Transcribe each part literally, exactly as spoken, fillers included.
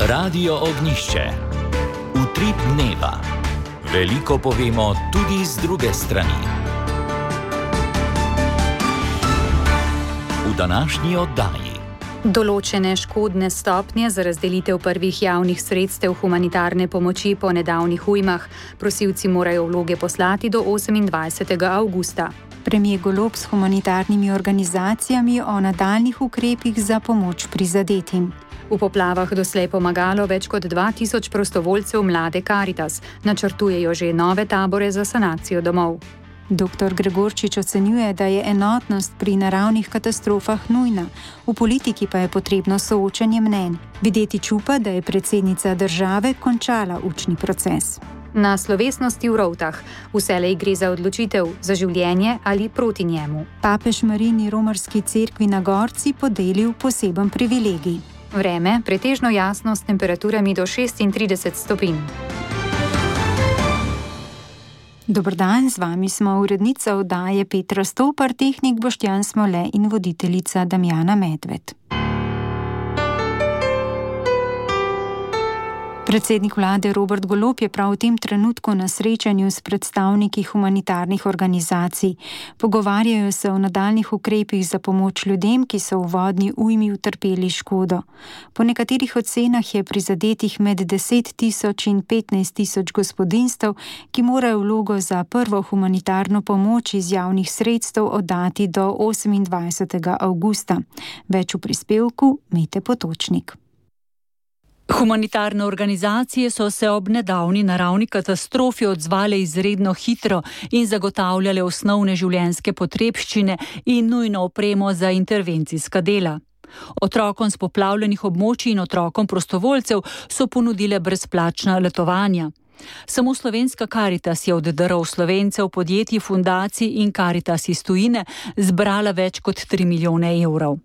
Radio Ognjišče. Utrip dneva. Veliko povemo tudi z druge strani. V današnji oddaji. Določene škodne stopnje za razdelitev prvih javnih sredstev humanitarne pomoči po nedavnih ujmah. Prosilci morajo vloge poslati do osemindvajsetega avgusta. Premier Golob s humanitarnimi organizacijami o nadaljnih ukrepih za pomoč prizadetim. V poplavah doslej pomagalo več kot dva tisoč prostovoljcev mlade Karitas. Načrtujejo že nove tabore za sanacijo domov. Doktor Gregorčič ocenjuje, da je enotnost pri naravnih katastrofah nujna, v politiki pa je potrebno soočenje mnenj. Videti čupa, da je predsednica države končala učni proces. Na slovesnosti v Rovtah vselej gre za odločitev za življenje ali proti njemu. Papež Marini romarski cerkvi na Gorci podelil poseben privilegij. Vreme pretežno jasno s temperaturami do šestintrideset stopinj. Dober dan, z vami smo urednica oddaje Petra Stopar, tehnik Boštjan Smole in voditeljica Damjana Medved. Predsednik vlade Robert Golob je prav v tem trenutku na srečanju s predstavniki humanitarnih organizacij. Pogovarjajo se o nadaljnih ukrepih za pomoč ljudem, ki so v vodni ujmi utrpeli škodo. Po nekaterih ocenah je prizadetih med deset tisoč in petnajst tisoč gospodinjstev, ki morajo vlogo za prvo humanitarno pomoč iz javnih sredstev oddati do osemindvajsetega avgusta. Več v prispevku Mete Potočnik. Humanitarne organizacije so se ob nedavni naravni katastrofi odzvale izredno hitro in zagotavljale osnovne življenjske potrebščine in nujno opremo za intervencijska dela. Otrokom s poplavljenih območij in otrokom prostovoljcev so ponudile brezplačna letovanja. Samo slovenska Karitas je od darov Slovencev, podjetij, fundacij in Karitas iz tujine zbrala več kot tri milijone evrov.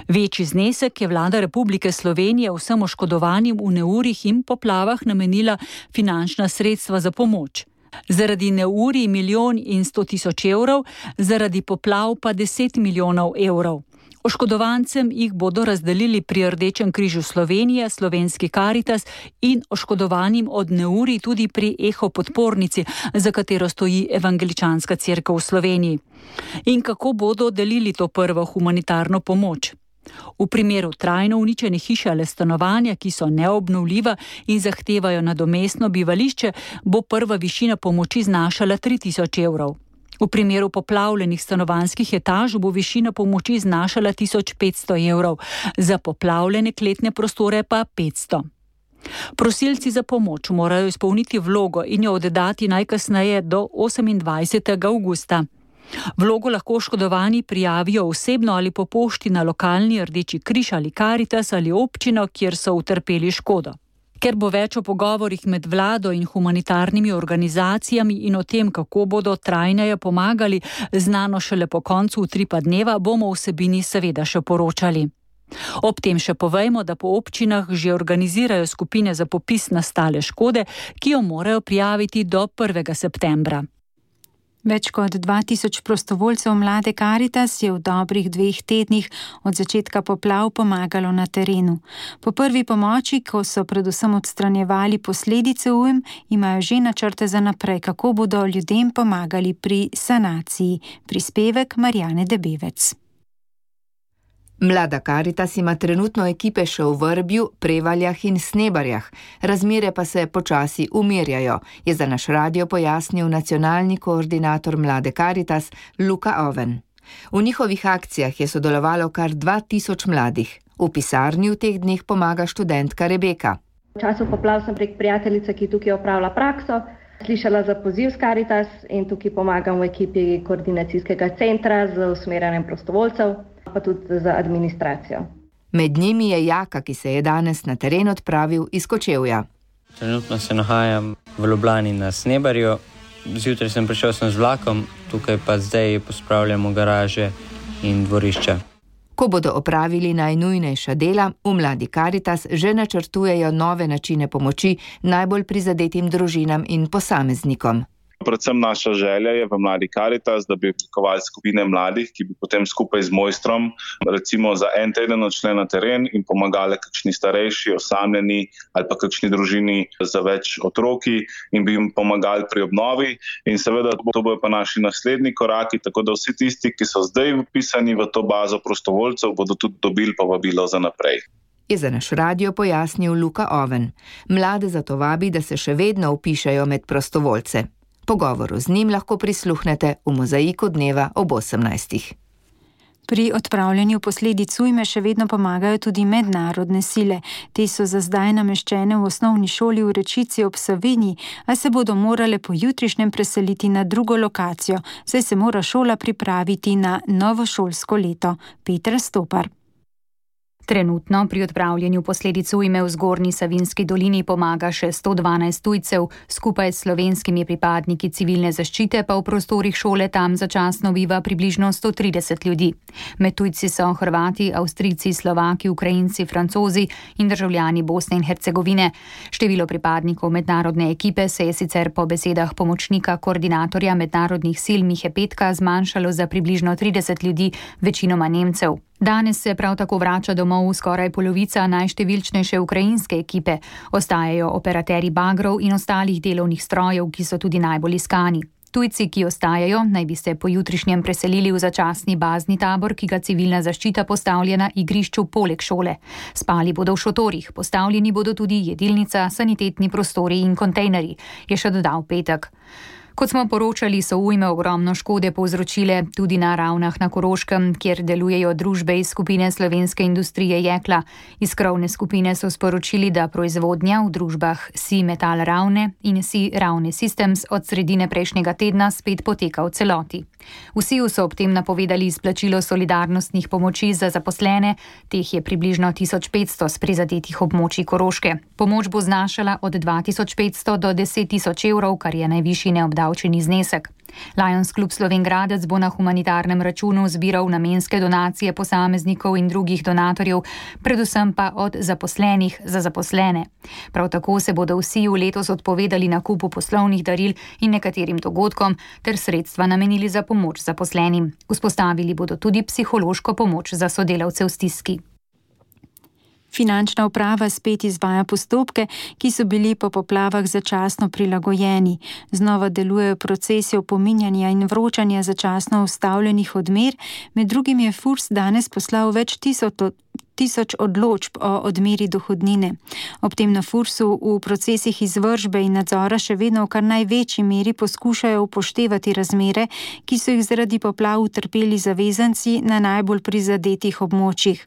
Večji znesek je vlada Republike Slovenije vsem oškodovanim v neurjih in poplavah namenila finančna sredstva za pomoč. Zaradi neurij milijon in sto tisoč evrov, zaradi poplav pa deset milijonov evrov. Oškodovancem jih bodo razdelili pri Rdečem križu Slovenije, slovenski Karitas in oškodovanim od neurij tudi pri Eho podpornici, za katero stoji Evangeličanska cerkev v Sloveniji. In kako bodo delili to prvo humanitarno pomoč? V primeru trajno uničene hiše ali stanovanja, ki so neobnovljiva in zahtevajo nadomestno bivališče, bo prva višina pomoči znašala tri tisoč evrov. V primeru poplavljenih stanovanjskih etaž bo višina pomoči znašala tisoč petsto evrov, za poplavljene kletne prostore pa petsto. Prosilci za pomoč morajo izpolniti vlogo in jo oddati najkasneje do osemindvajsetega avgusta. Vlogo lahko oškodovani prijavijo osebno ali po pošti na lokalni Rdeči križ ali Karitas ali občino, kjer so utrpeli škodo. Ker bo več o pogovorih med vlado in humanitarnimi organizacijami in o tem, kako bodo trajneje pomagali, znano šele po koncu utripa dneva, bomo vsebini seveda še poročali. Ob tem še povejmo, da po občinah že organizirajo skupine za popis nastale škode, ki jo morajo prijaviti do prvega septembra. Več kot dva tisoč prostovoljcev mlade Karitas je v dobrih dveh tednih od začetka poplav pomagalo na terenu. Po prvi pomoči, ko so predvsem odstranjevali posledice ujm, imajo že načrte za naprej, kako bodo ljudem pomagali pri sanaciji. Prispevek Marjane Debevec. Mlada Karitas ima trenutno ekipe še v Vrbju, Prevaljah in Snebarjah. Razmere pa se počasi umirjajo, je za naš radio pojasnil nacionalni koordinator Mlade Karitas Luka Oven. V njihovih akcijah je sodelovalo kar dva tisoč mladih. V pisarni v teh dneh pomaga študentka Rebeka. V času poplav sem prek prijateljice, ki tukaj opravlja prakso, slišala za poziv s Karitas in tukaj pomagam v ekipi koordinacijskega centra z usmerjanjem prostovoljcev, pa tudi za administracijo. Med njimi je Jaka, ki se je danes na teren odpravil iz Kočevja. Trenutno se nahajam v Ljubljani na Snebarju. Zjutraj sem prišel sem z vlakom, tukaj pa zdaj pospravljamo garaže in dvorišča. Ko bodo opravili najnujnejša dela, v Mladi Karitas že načrtujejo nove načine pomoči najbolj prizadetim družinam in posameznikom. Predvsem naša želja je v Mladi Karitas, da bi oblikovali skupine mladih, ki bi potem skupaj z mojstrom recimo za en teden odšli na teren in pomagali kakšni starejši, osamljeni ali pa kakšni družini za več otroki in bi jim pomagali pri obnovi. In seveda to bodo pa naši naslednji koraki, tako da vsi tisti, ki so zdaj vpisani v to bazo prostovoljcev, bodo tudi dobili povabilo za naprej. Je za naš radio pojasnil Luka Oven. Mlade zato vabi, da se še vedno vpišejo med prostovoljce. Pogovoru z njim lahko prisluhnete v Mozaiku dneva ob osemnajstih. Pri odpravljanju posledic ujme še vedno pomagajo tudi mednarodne sile. Te so za zdaj nameščene v osnovni šoli v Rečici ob Savinji, a se bodo morale po jutrišnjem preseliti na drugo lokacijo, saj se mora šola pripraviti na novo šolsko leto. Petra Stopar. Trenutno pri odpravljanju posledic ujme v Zgornji Savinjski dolini pomaga še sto dvanajst tujcev, skupaj s slovenskimi pripadniki civilne zaščite pa v prostorih šole tam začasno biva približno sto trideset ljudi. Med tujci so Hrvati, Avstrijci, Slovaki, Ukrajinci, Francozi in državljani Bosne in Hercegovine. Število pripadnikov mednarodne ekipe se je sicer po besedah pomočnika koordinatorja mednarodnih sil Mihe Petka zmanjšalo za približno trideset ljudi, večinoma Nemcev. Danes se prav tako vrača domov skoraj polovica najštevilčnejše ukrajinske ekipe. Ostajajo operaterji bagrov in ostalih delovnih strojev, ki so tudi najbolj iskani. Tujci, ki ostajajo, naj bi se po jutrišnjem preselili v začasni bazni tabor, ki ga civilna zaščita postavlja na igrišču poleg šole. Spali bodo v šotorih, postavljeni bodo tudi jedilnica, sanitetni prostori in kontejnerji, je še dodal Petek. Kot smo poročali, so ujme ogromno škode povzročile tudi na Ravnah na Koroškem, kjer delujejo družbe iz skupine slovenske industrije jekla. Iz krovne skupine so sporočili, da proizvodnja v družbah Si Metal Ravne in Si Ravne Systems od sredine prejšnjega tedna spet poteka v celoti. V Siju so ob tem napovedali izplačilo solidarnostnih pomoči za zaposlene, teh je približno tisoč petsto z prizadetih območij Koroške. Pomoč bo znašala od dva tisoč petsto do deset tisoč evrov, kar je najvišji neobdavčeni znesek. Lions Klub Slovengradec bo na humanitarnem računu zbiral namenske donacije posameznikov in drugih donatorjev, predvsem pa od zaposlenih za zaposlene. Prav tako se bodo vsi v letos odpovedali nakupu poslovnih daril in nekaterim dogodkom ter sredstva namenili za pomoč zaposlenim. Vzpostavili bodo tudi psihološko pomoč za sodelavce v stiski. Finančna uprava spet izvaja postopke, ki so bili po poplavah začasno prilagojeni. Znova delujejo procesi opominjanja in vročanja začasno ustavljenih odmer, med drugim je Furs danes poslal več tisoč tisoč odločb o odmeri dohodnine. Ob tem na Fursu v procesih izvršbe in nadzora še vedno v kar največji meri poskušajo upoštevati razmere, ki so jih zaradi poplav utrpeli zavezanci na najbolj prizadetih območjih.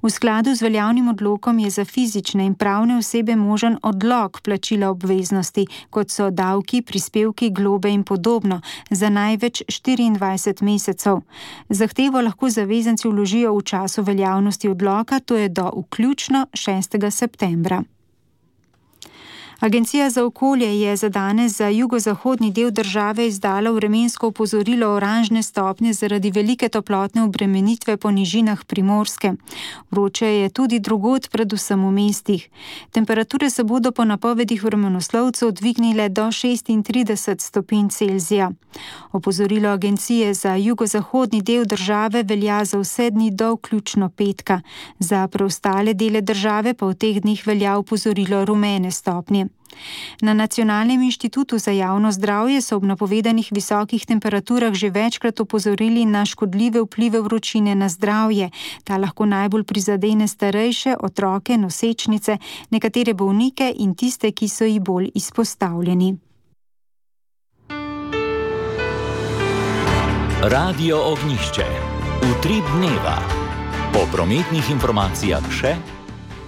V skladu z veljavnim odlokom je za fizične in pravne osebe možen odlog plačila obveznosti, kot so davki, prispevki, globe in podobno, za največ štiriindvajset mesecev. Zahtevo lahko zavezanci vložijo v času veljavnosti odloka, to je do vključno šestega septembra. Agencija za okolje je za danes za jugozahodni del države izdala vremensko opozorilo oranžne stopnje zaradi velike toplotne obremenitve po nižinah Primorske. Vroče je tudi drugod, predvsem v mestih. Temperature se bodo po napovedih vremenoslovcev dvignile do šestintrideset stopinj Celzija. Opozorilo agencije za jugozahodni del države velja za vse dni do vključno petka. Za preostale dele države pa v teh dneh velja opozorilo rumene stopnje. Na Nacionalnem inštitutu za javno zdravje so ob napovedanih visokih temperaturah že večkrat opozorili na škodljive vplive vročine na zdravje. Ta lahko najbolj prizadene starejše, otroke, nosečnice, nekatere bolnike in tiste, ki so ji bolj izpostavljeni. Radio Ognjišče. Utrip dneva. Po prometnih informacijah še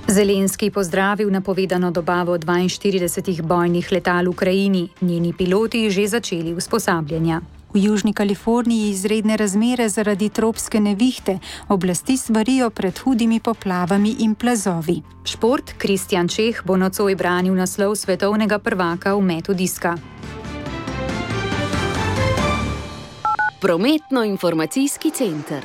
Zelenski pozdravil napovedano dobavo dvainštiridesetih bojnih letal v Ukrajini. Njeni piloti že začeli usposabljanja. V Južni Kaliforniji izredne razmere zaradi tropske nevihte. Oblasti svarijo pred hudimi poplavami in plazovi. Šport. Kristjan Čeh bo nocoj branil naslov svetovnega prvaka v metu diska. Prometno-informacijski center.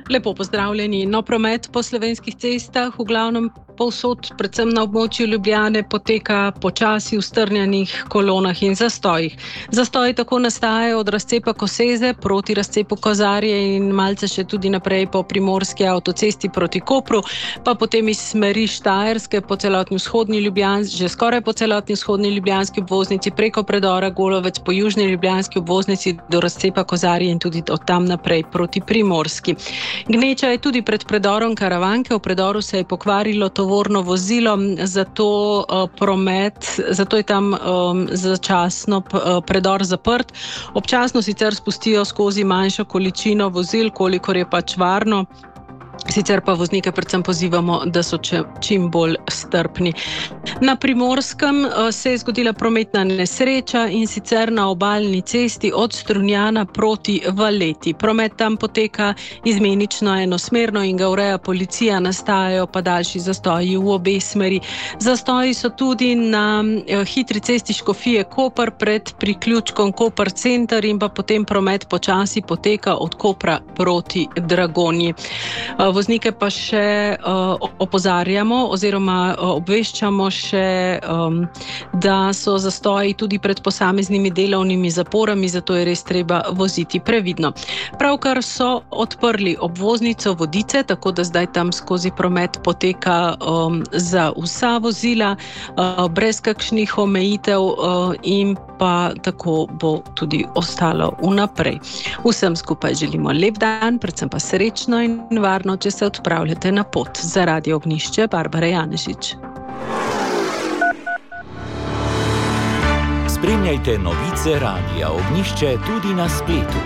Lepo pozdravljeni. No, promet po slovenskih cestah v glavnem povsod, predvsem na območju Ljubljane, poteka počasi v strnjenih kolonah in zastojih. Zastoji tako nastajajo od razcepa Koseze proti razcepu Kozarje in malce še tudi naprej po primorski avtocesti proti Kopru, pa potem iz smeri Štajerske po celotni vzhodni Ljubljanski, že skoraj po celotni vzhodni ljubljanski obvoznici preko predora Golovec po južni ljubljanski obvoznici do razcepa Kozarje in tudi od tam naprej proti primorski. Gneča je tudi pred predorom Karavanke, v predoru se je pokvarilo tovorno vozilo, zato uh, promet, zato je tam um, začasno uh, predor zaprt. Občasno sicer spustijo skozi manjšo količino vozil, kolikor je pač varno. Sicer pa voznike predvsem pozivamo, da so čim bolj strpni. Na Primorskem se je zgodila prometna nesreča in sicer na obalni cesti od Strunjana proti Valeti. Promet tam poteka izmenično enosmerno in ga ureja policija, nastajajo pa daljši zastoji v obe smeri. Zastoji so tudi na hitri cesti Škofije Koper pred priključkom Koper center in pa potem promet počasi poteka od Kopra proti Dragonji. Voznike pa še uh, opozarjamo oziroma uh, obveščamo še, um, da so zastoji tudi pred posameznimi delovnimi zaporami, zato je res treba voziti previdno. Pravkar so odprli obvoznico Vodice, tako da zdaj tam skozi promet poteka um, za vsa vozila, uh, brez kakšnih omejitev uh, in pa tako bo tudi ostalo vnaprej. Vsem skupaj želimo lep dan, predvsem pa srečno in varno, če se odpravljate na pot. Za Radio Ognjišče, Barbara Janežič. Spremljajte novice Radia Ognjišče tudi na spletu.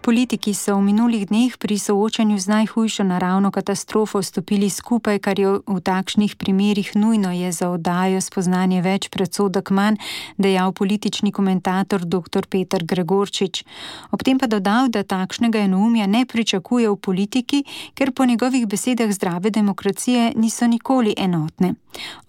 Politiki so v minulih dneh pri soočanju z najhujšo naravno katastrofo stopili skupaj, kar je v takšnih primerih nujno, je za oddajo spoznanje več predsodek manj, dejal politični komentator doktor Peter Gregorčič. Ob tem pa dodal, da takšnega enoumja ne pričakuje v politiki, ker po njegovih besedah zdrave demokracije niso nikoli enotne.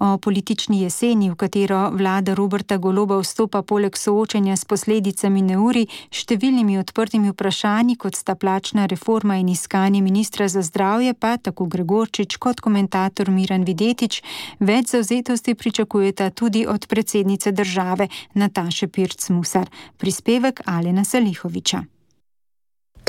O politični jeseni, v katero vlada Roberta Goloba vstopa poleg soočanja s posledicami neurij, številnimi odprtimi vprašanji, kot sta plačna reforma in iskanje ministra za zdravje, pa tako Gregorčič kot komentator Miran Videtič več zavzetosti pričakujeta tudi od predsednice države Nataše Pirc Musar. Prispevek Alena Salihoviča.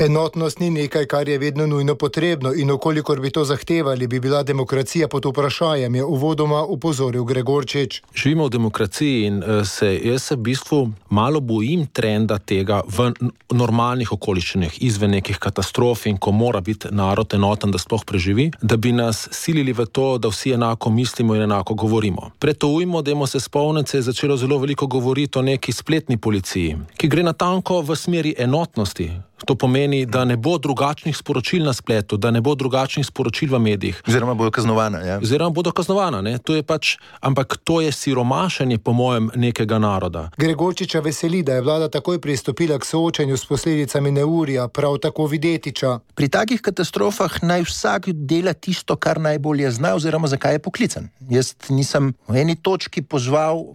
Enotnost ni nekaj, kar je vedno nujno potrebno in okolikor bi to zahtevali, bi bila demokracija pod vprašanjem, je uvodoma upozoril Gregorčič. Živimo v demokraciji in se jaz se v bistvu malo bojim trenda tega v normalnih okoliščinah, izven nekih katastrof in ko mora biti narod enoten, da sploh preživi, da bi nas silili v to, da vsi enako mislimo in enako govorimo. Pred to ujmo, dajmo se spomniti, se je začelo zelo veliko govoriti o neki spletni policiji, ki gre natanko v smeri enotnosti. To pomeni, da ne bo drugačnih sporočil na spletu, da ne bo drugačnih sporočil v medijih. Oziroma bodo kaznovana, ja. Oziroma bodo kaznovana, ne. To je pač, ampak to je siromašenje, po mojem, nekega naroda. Gregorčiča veseli, da je vlada takoj pristopila k soočanju s posledicami neurja, prav tako Videtiča. Pri takih katastrofah naj vsak dela tisto, kar najbolje zna, oziroma zakaj je poklican. Jaz nisem v eni točki pozval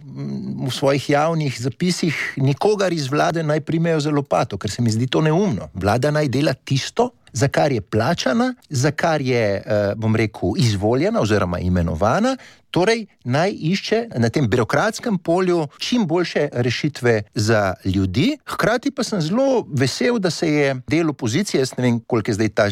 v svojih javnih zapisih nikogar iz vlade naj primejo za lopato, ker se mi zdi to neumno. Vlada naj dela tisto, za kar je plačana, za kar je, bom rekel, izvoljena oziroma imenovana, torej naj išče na tem birokratskem polju čim boljše rešitve za ljudi. Hkrati pa sem zelo vesel, da se je del opozicije, jaz ne vem, koliko je zdaj ta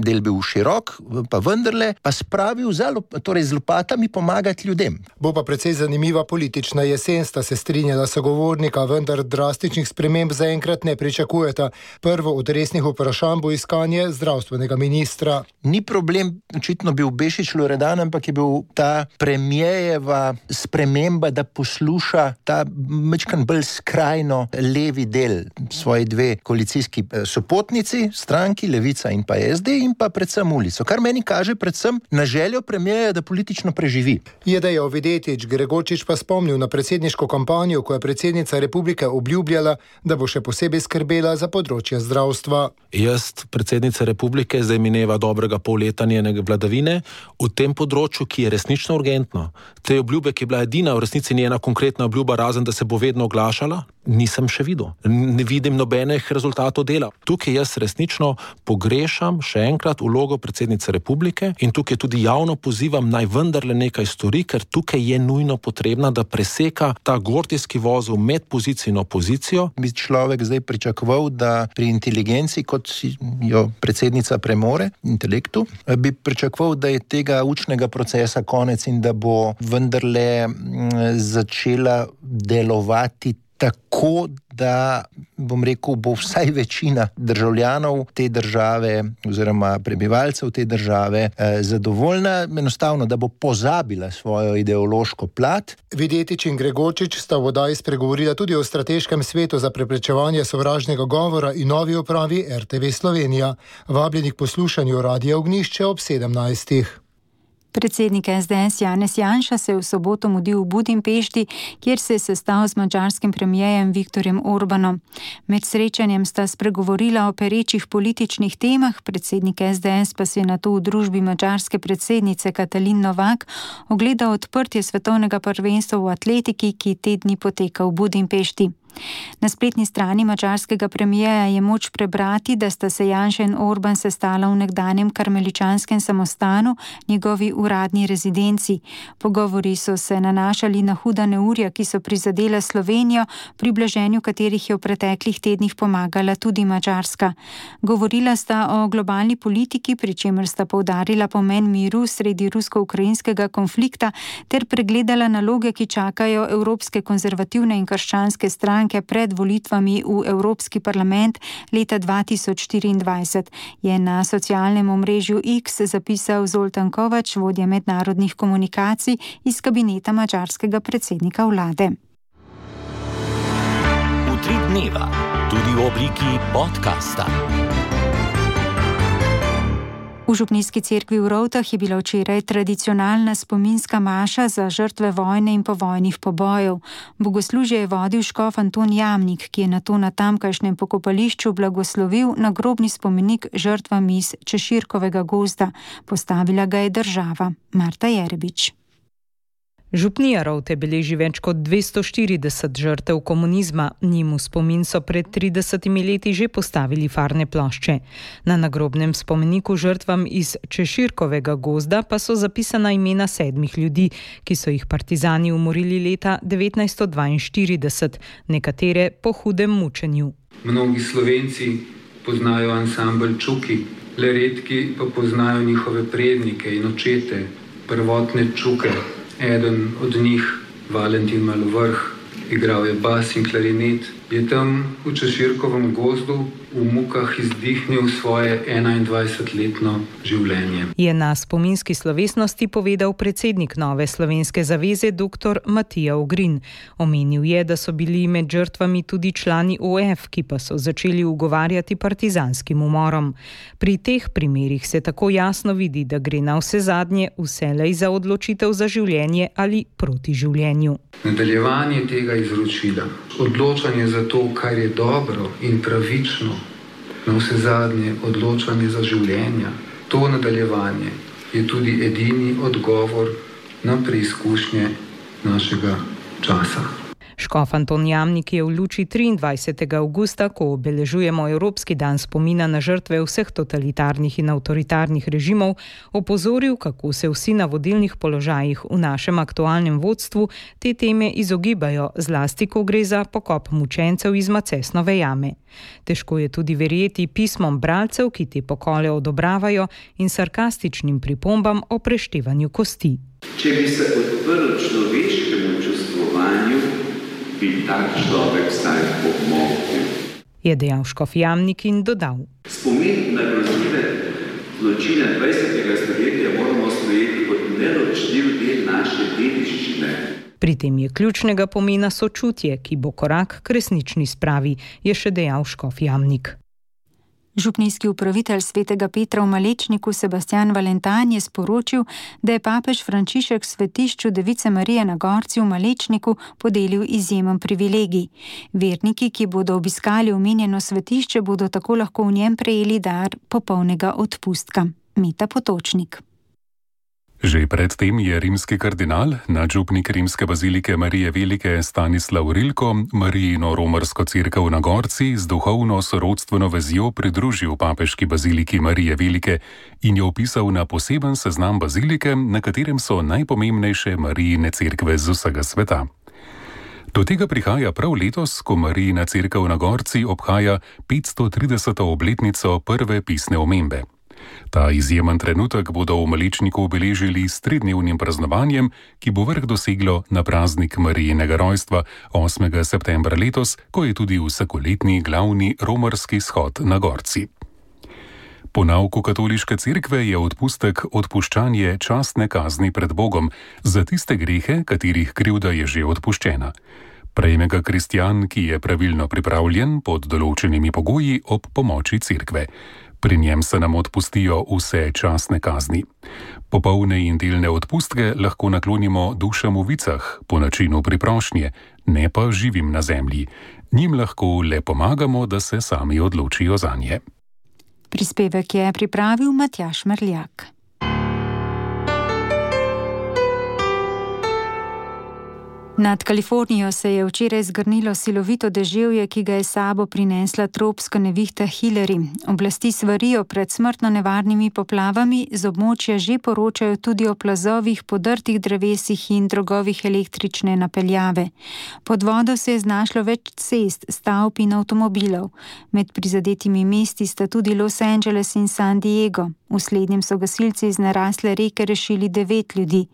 del bil širok, pa vendarle, pa spravil za, torej z lopatami pomagati ljudem. Bo pa precej zanimiva politična jesen, sta se strinjala sogovornika, vendar drastičnih sprememb zaenkrat ne pričakujeta. Prvo od resnih vprašanj bo iskanje zdravstvenega ministra. Ni problem, očitno bil Bešič Loredan, ampak je bil ta premijejeva sprememba, da posluša ta mečkan bolj skrajno levi del, svoji dve koalicijski sopotnici, stranki, Levica in pa S D, in pa predvsem ulico, kar meni kaže predvsem na željo premierja, da politično preživi. Je dejal Videtič, Gregorčič pa spomnil na predsedniško kampanjo, ko je predsednica republike obljubljala, da bo še posebej skrbela za področje zdravstva. Jaz, predsednica republike, zdaj mineva dobrega pol leta njene vladavine v tem področju, ki je resnično urgentno. Te obljube, ki je bila edina v resnici njena konkretna obljuba, razen da se bo vedno oglašala, nisem še videl. Ne vidim nobenih rezultatov dela. Tukaj jaz resnično pogrešam še enkrat vlogo predsednice republike in tukaj tudi javno pozivam, naj vendarle nekaj stori, ker tukaj je nujno potrebna, da preseka ta gordijski vozel med pozicijo in opozicijo. Bi človek zdaj pričakoval, da pri inteligenci, kot jo predsednica premore, intelektu, bi pričakoval, da je tega učnega procesa konec in da bo vendarle začela delovati tako, da, bom rekel, bo vsaj večina državljanov te države oziroma prebivalcev te države eh, zadovoljna, enostavno, da bo pozabila svojo ideološko plat. Videtič in Gregorčič sta v oddaji spregovorila tudi o strateškem svetu za preprečevanje sovražnega govora in novi upravi R T V Slovenija. Vabljeni k poslušanju Radia Ognjišče ob sedemnajstih. Predsednik S D S Janez Janša se je v soboto mudil v Budimpešti, kjer se je sestal z madžarskim premierjem Viktorjem Orbanom. Med srečanjem sta spregovorila o perečih političnih temah, predsednik S D S pa si je nato v družbi madžarske predsednice Katalin Novak ogledal odprtje svetovnega prvenstva v atletiki, ki te dni poteka v Budimpešti. Na spletni strani madžarskega premierja je moč prebrati, da sta se Janša in Orban sestala v nekdanjem karmeličanskem samostanu, njegovi uradni rezidenci. Pogovori so se nanašali na huda neurja, ki so prizadela Slovenijo, pri blaženju katerih je v preteklih tednih pomagala tudi Madžarska. Govorila sta o globalni politiki, pri čemer sta poudarila pomen miru sredi rusko-ukrajinskega konflikta ter pregledala naloge, ki čakajo evropske konzervativne in krščanske stranke pred volitvami v Evropski parlament leta dva tisoč štiriindvajset, je na socialnem omrežju X zapisal Zoltan Kovač, vodja mednarodnih komunikacij iz kabineta madžarskega predsednika vlade. Utrip dneva, tudi v obliki podcasta. V župnijski cerkvi v Rovtah je bila včeraj tradicionalna spominska maša za žrtve vojne in povojnih pobojev. Bogoslužje je vodil škof Anton Jamnik, ki je nato na tamkajšnjem pokopališču blagoslovil nagrobni spomenik žrtvam iz Češirkovega gozda. Postavila ga je država. Marta Jerebič. Župnija Rovte beleži več kot dvesto štirideset žrtev komunizma. Njim v spomin so pred tridesetimi leti že postavili farne plošče. Na nagrobnem spomeniku žrtvam iz Češirkovega gozda pa so zapisana imena sedmih ljudi, ki so jih partizani umorili leta devetnajststo dvainštirideset, nekatere po hudem mučenju. Mnogi Slovenci poznajo ansambel Čuki, le redki pa poznajo njihove prednike in očete, prvotne Čuke. Eden od njih, Valentin Malovrh, igral je bas in klarinet, je tam v Češirkovem gozdu v mukah izdihnil svoje enaindvajsetletno življenje. Je na spominski slovesnosti povedal predsednik Nove slovenske zaveze dr. Matija Ogrin. Omenil je, da so bili med žrtvami tudi člani O F, ki pa so začeli ugovarjati partizanskim umorom. Pri teh primerih se tako jasno vidi, da gre na vse zadnje vselej za odločitev za življenje ali proti življenju. Nadaljevanje tega izročila, odločanje za to, kar je dobro in pravično, na vse zadnje odločanje za življenja, to nadaljevanje je tudi edini odgovor na preizkušnje našega časa. Škof Anton Jamnik je v luči triindvajsetega avgusta, ko obeležujemo Evropski dan spomina na žrtve vseh totalitarnih in avtoritarnih režimov, opozoril, kako se vsi na vodilnih položajih v našem aktualnem vodstvu te teme izogibajo, zlasti ko gre za pokop mučencev iz Macesnove jame. Težko je tudi verjeti pismom bralcev, ki te pokole odobravajo, in sarkastičnim pripombam o preštevanju kosti. Če bi se odprl človeškemu čustvovanju, bi tak človek vsaj pomogel, je dejal škof Jamnik in dodal. Spomin na grozljive zločine dvajsetega stoletja moramo sprejeti kot neločljiv del naše dediščine. Pri tem je ključnega pomena sočutje, ki bo korak k resnični spravi, je še dejal škof Jamnik. Župnijski upravitelj Svetega Petra v Malečniku Sebastian Valentan je sporočil, da je papež Frančišek svetišču Device Marije na Gorci v Malečniku podelil izjemen privilegij. Verniki, ki bodo obiskali omenjeno svetišče, bodo tako lahko v njem prejeli dar popolnega odpustka. Meta Potočnik. Že predtem je rimski kardinal, nadžupnik rimske bazilike Marije Velike Stanislav Rilko, Marijino romarsko cerkev na Gorci z duhovno sorodstveno vezjo pridružil papeški baziliki Marije Velike in jo opisal na poseben seznam bazilike, na katerem so najpomembnejše Marijine cerkve z vsega sveta. Do tega prihaja prav letos, ko Marijina cerkev na Gorci obhaja petsto trideseto obletnico prve pisne omembe. Ta izjemen trenutek bodo v Malečniku obeležili s tridnevnim praznovanjem, ki bo vrh doseglo na praznik Marijinega rojstva osmega septembra letos, ko je tudi vsakoletni glavni romarski shod na Gorci. Po nauku katoliške cerkve je odpustek odpuščanje častne kazni pred Bogom za tiste grehe, katerih krivda je že odpuščena. Prejme ga kristjan, ki je pravilno pripravljen pod določenimi pogoji ob pomoči cerkve. Pri njem se nam odpustijo vse častne kazni. Popolne in delne odpustke lahko naklonimo dušam v vicah, po načinu priprošnje, ne pa živim na zemlji. Njim lahko le pomagamo, da se sami odločijo zanje. Prispevek je pripravil Matjaž Merljak. Nad Kalifornijo se je včeraj zgrnilo silovito deževje, ki ga je sabo prinesla tropska nevihta Hillary. Oblasti svarijo pred smrtno nevarnimi poplavami, z območja že poročajo tudi o plazovih, podrtih drevesih in drogovih električne napeljave. Pod vodo se je znašlo več cest, stavb in avtomobilov. Med prizadetimi mesti sta tudi Los Angeles in San Diego. V slednjem so gasilci iz narasle reke rešili devet ljudi.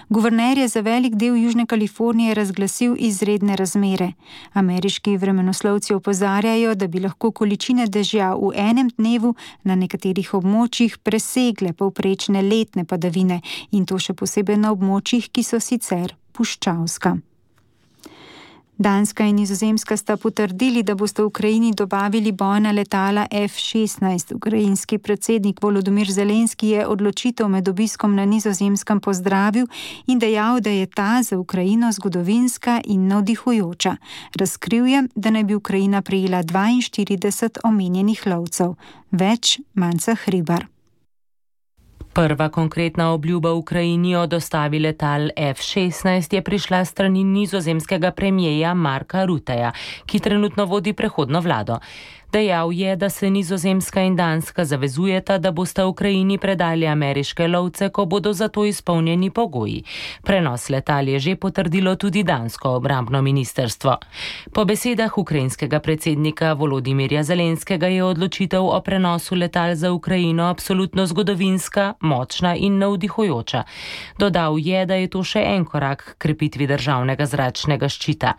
Guverner je za velik del Južne Kalifornije razglasil izredne razmere. Ameriški vremenoslovci opozarjajo, da bi lahko količine dežja v enem dnevu na nekaterih območjih presegle povprečne letne padavine in to še posebej na območjih, ki so sicer puščavska. Danska in Nizozemska sta potrdili, da boste Ukrajini dobavili bojna letala F šestnajst. Ukrajinski predsednik Volodymyr Zelenski je odločitev med obiskom na Nizozemskem pozdravil in dejal, da je ta za Ukrajino zgodovinska in navdihujoča. Razkril je, da naj bi Ukrajina prejela dvainštirideset omenjenih lovcev. Več Manca Hribar. Prva konkretna obljuba Ukrajini o dostavi letal F šestnajst je prišla strani nizozemskega premijeja Marka Rutteja, ki trenutno vodi prehodno vlado. Dejal je, da se Nizozemska in Danska zavezujeta, da bosta Ukrajini predali ameriške lovce, ko bodo za to izpolnjeni pogoji. Prenos letal je že potrdilo tudi dansko obrambno ministrstvo. Po besedah ukrajinskega predsednika Volodymyrja Zelenskega je odločitev o prenosu letal za Ukrajino absolutno zgodovinska, močna in navdihujoča. Dodal je, da je to še en korak k krepitvi državnega zračnega ščita.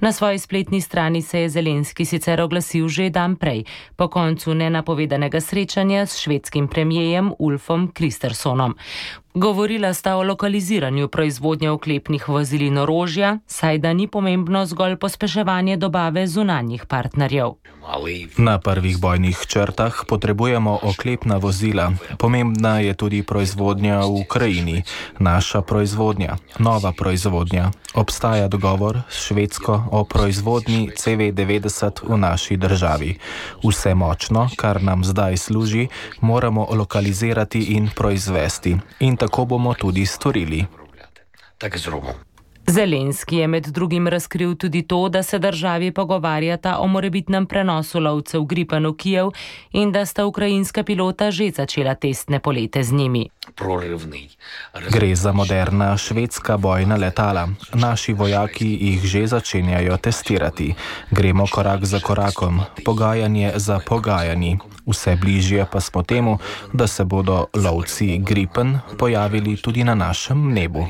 Na svoji spletni strani se je Zelenski sicer oglasil že dan prej, po koncu nenapovedanega srečanja s švedskim premijejem Ulfom Kristersonom. Govorila sta o lokaliziranju proizvodnje oklepnih vozil in orožja, saj da ni pomembno zgolj pospeševanje dobave zunanjih partnerjev. Na prvih bojnih črtah potrebujemo oklepna vozila. Pomembna je tudi proizvodnja v Ukrajini. Naša proizvodnja, nova proizvodnja. Obstaja dogovor s Švedsko o proizvodnji C V devetdeset v naši državi. Vse močno, kar nam zdaj služi, moramo lokalizirati in proizvesti. In tako bomo tudi storili. Zelenski je med drugim razkril tudi to, da se državi pogovarjata o morebitnem prenosu lovcev Gripen v Kijev in da sta ukrajinska pilota že začela testne polete z njimi. Gre za moderna švedska bojna letala. Naši vojaki jih že začenjajo testirati. Gremo korak za korakom, pogajanje za pogajanji. Vse bližje pa smo temu, da se bodo lovci Gripen pojavili tudi na našem nebu.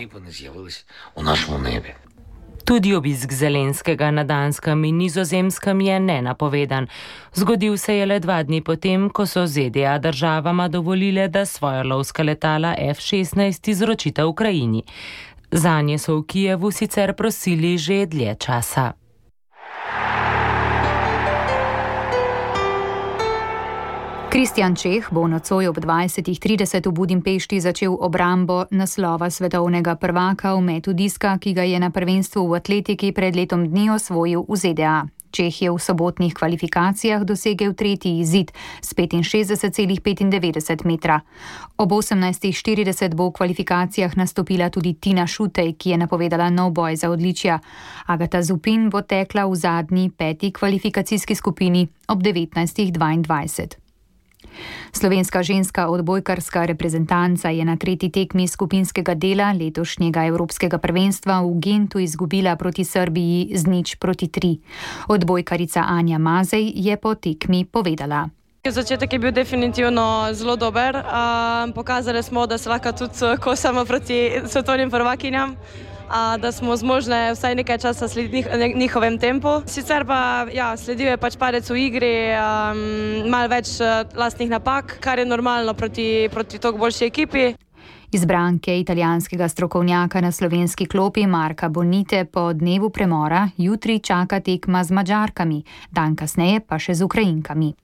Tudi obisk Zelenskega na Danskem in Nizozemskem je nenapovedan. Zgodil se je le dva dni potem, ko so Z D A državama dovolile, da svoja lovska letala F šestnajst izročita Ukrajini. Zanje so v Kijevu sicer prosili že dlje časa. Kristjan Čeh bo nocoj ob dvajset trideset v Budimpešti začel obrambo naslova svetovnega prvaka v metu diska, ki ga je na prvenstvu v atletiki pred letom dni osvojil v Z D A. Čeh je v sobotnih kvalifikacijah dosegel tretji izid s petinšestdeset celih petindevetdeset metra. Ob osemnajst štirideset bo v kvalifikacijah nastopila tudi Tina Šutej, ki je napovedala nov boj za odličja. Agata Zupin bo tekla v zadnji peti kvalifikacijski skupini ob devetnajst dvaindvajset. Slovenska ženska odbojkarska reprezentanca je na tretji tekmi skupinskega dela letošnjega evropskega prvenstva v Gentu izgubila proti Srbiji z nič proti tri. Odbojkarica Anja Mazej je po tekmi povedala. Začetek je bil definitivno zelo dober. Pokazali smo, da se lahko tudi kosamo proti svetovnim prvakinjam, da smo zmožne vsaj nekaj časa slediti njihovem tempu. Sicer pa ja, sledil je pač padec v igri, um, malo več lastnih napak, kar je normalno proti, proti toliko boljši ekipi. Izbranke italijanskega strokovnjaka na slovenski klopi Marka Bonite po dnevu premora jutri čaka tekma z Madžarkami, dan kasneje pa še z Ukrajinkami.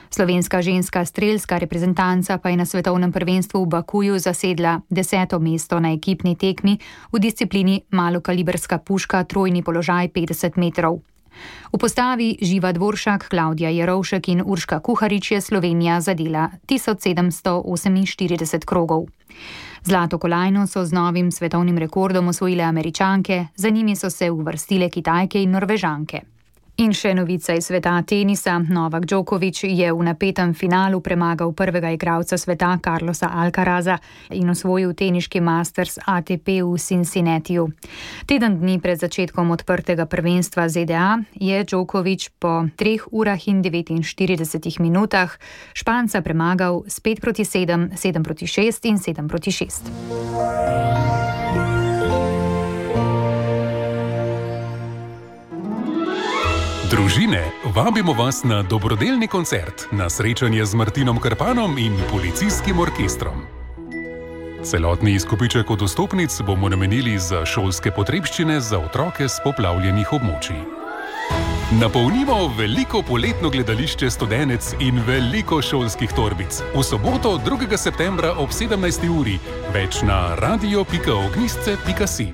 Slovenska ženska strelska reprezentanca pa je na svetovnem prvenstvu v Bakuju zasedla deseto mesto na ekipni tekmi v disciplini malokaliberska puška trojni položaj petdeset metrov. V postavi Živa Dvoršak, Klavdija Jerovšek in Urška Kuharič je Slovenija zadela tisoč sedemsto oseminštirideset krogov. Zlato kolajno so z novim svetovnim rekordom osvojile Američanke, za njimi so se uvrstile Kitajke in Norvežanke. In še novica iz sveta tenisa. Novak Djokovic je v napetem finalu premagal prvega igralca sveta Carlosa Alcaraza in osvojil teniški Masters A T P v Cincinnatiju. Teden dni pred začetkom odprtega prvenstva Z D A je Djokovic po treh urah in devetinštiridesetih minutah Španca premagal s pet proti sedem, sedem proti šest in sedem proti šest. Družine, vabimo vas na dobrodelni koncert, na srečanje z Martinom Krpanom in policijskim orkestrom. Celotni izkupiček od vstopnic bomo namenili za šolske potrebščine za otroke s poplavljenih območij. Napolnimo veliko poletno gledališče Studenec in veliko šolskih torbic. V soboto drugega septembra ob sedemnajsti uri, več na radio pika ognjišče pika si.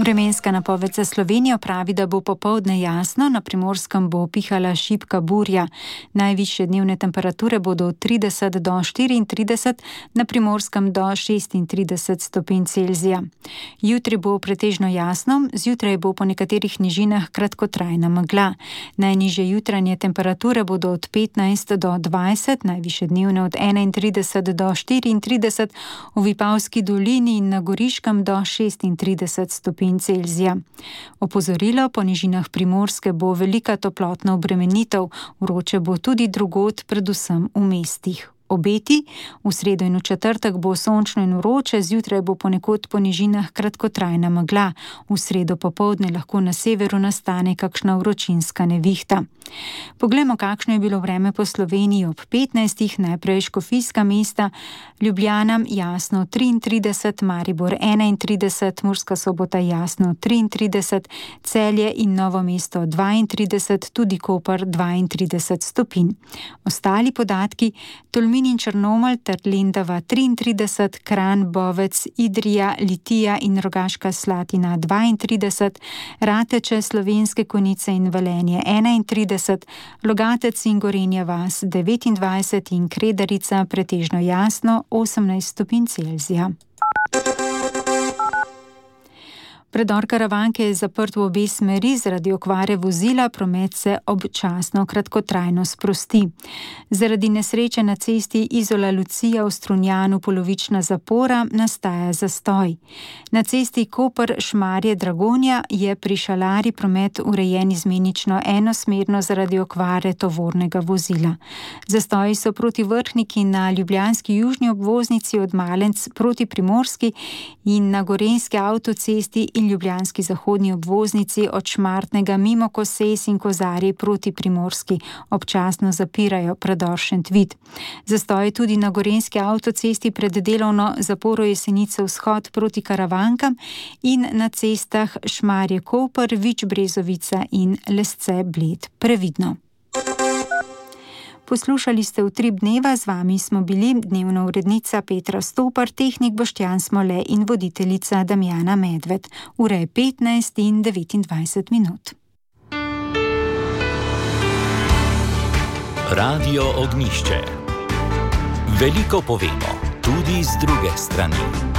Vremenska napoved za Slovenijo pravi, da bo popoldne jasno, na Primorskem bo pihala šibka burja. Najvišje dnevne temperature bodo od trideset do štiriintrideset, na Primorskem do šestintrideset stopinj Celzija. Jutri bo pretežno jasno, zjutraj bo po nekaterih nižinah kratkotrajna megla. Najnižje jutranje temperature bodo od petnajst do dvajset, najvišje dnevne od enaintrideset do štiriintrideset, v Vipavski dolini in na Goriškem do šestintrideset stopinj Celzija. Opozorilo, po nižinah Primorske bo velika toplotna obremenitev, vroče bo tudi drugod, predvsem v mestih. Obeti, v sredo in v četrtek bo sončno in vroče, zjutraj bo ponekod po nižinah kratkotrajna megla, v sredo popoldne lahko na severu nastane kakšna vročinska nevihta. Poglejmo, kakšno je bilo vreme po Sloveniji ob petnajstih, najprej Škofijska mesta, Ljubljana jasno triintrideset, Maribor enaintrideset, Murska Sobota jasno triintrideset, Celje in Novo mesto dvaintrideset, tudi Koper dvaintrideset stopinj. Ostali podatki: Tolmin in Črnomelj ter Lendava triintrideset, Kranj, Bovec, Idrija, Litija in Rogaška Slatina dvaintrideset, Rateče, Slovenske Konjice in Velenje enaintrideset, Logatec in Gorenja vas devetindvajset in Kredarica pretežno jasno osemnajst stopinj Celzija. Predor Karavanke je zaprt v obe smeri zaradi okvare vozila, promet se občasno kratkotrajno sprosti. Zaradi nesreče na cesti Izola-Lucija v Strunjanu polovična zapora nastaja zastoj. Na cesti Koper-Šmarje-Dragonja je pri Šalari promet urejen izmenično enosmerno zaradi okvare tovornega vozila. Zastoji so proti Vrhniki na ljubljanski južni obvoznici od Malenc proti Primorski in na gorenjski avtocesti in ljubljanski zahodni obvoznici od Šmartnega mimo Koses in Kozarji proti Primorski občasno zapirajo predor Šentvid. Zastoj tudi na gorenjski avtocesti pred delovno zaporo Jesenice vzhod proti Karavankam in na cestah Šmarje-Koper, Vič-Brezovica in Lesce-Bled. Previdno. Poslušali ste Utrip dneva, z vami smo bili dnevna urednica Petra Stopar, tehnik Boštjan Smole in voditeljica Damjana Medved. Ura je petnajst in devetindvajset minut. Radio Ognjišče. Veliko povemo, tudi z druge strani.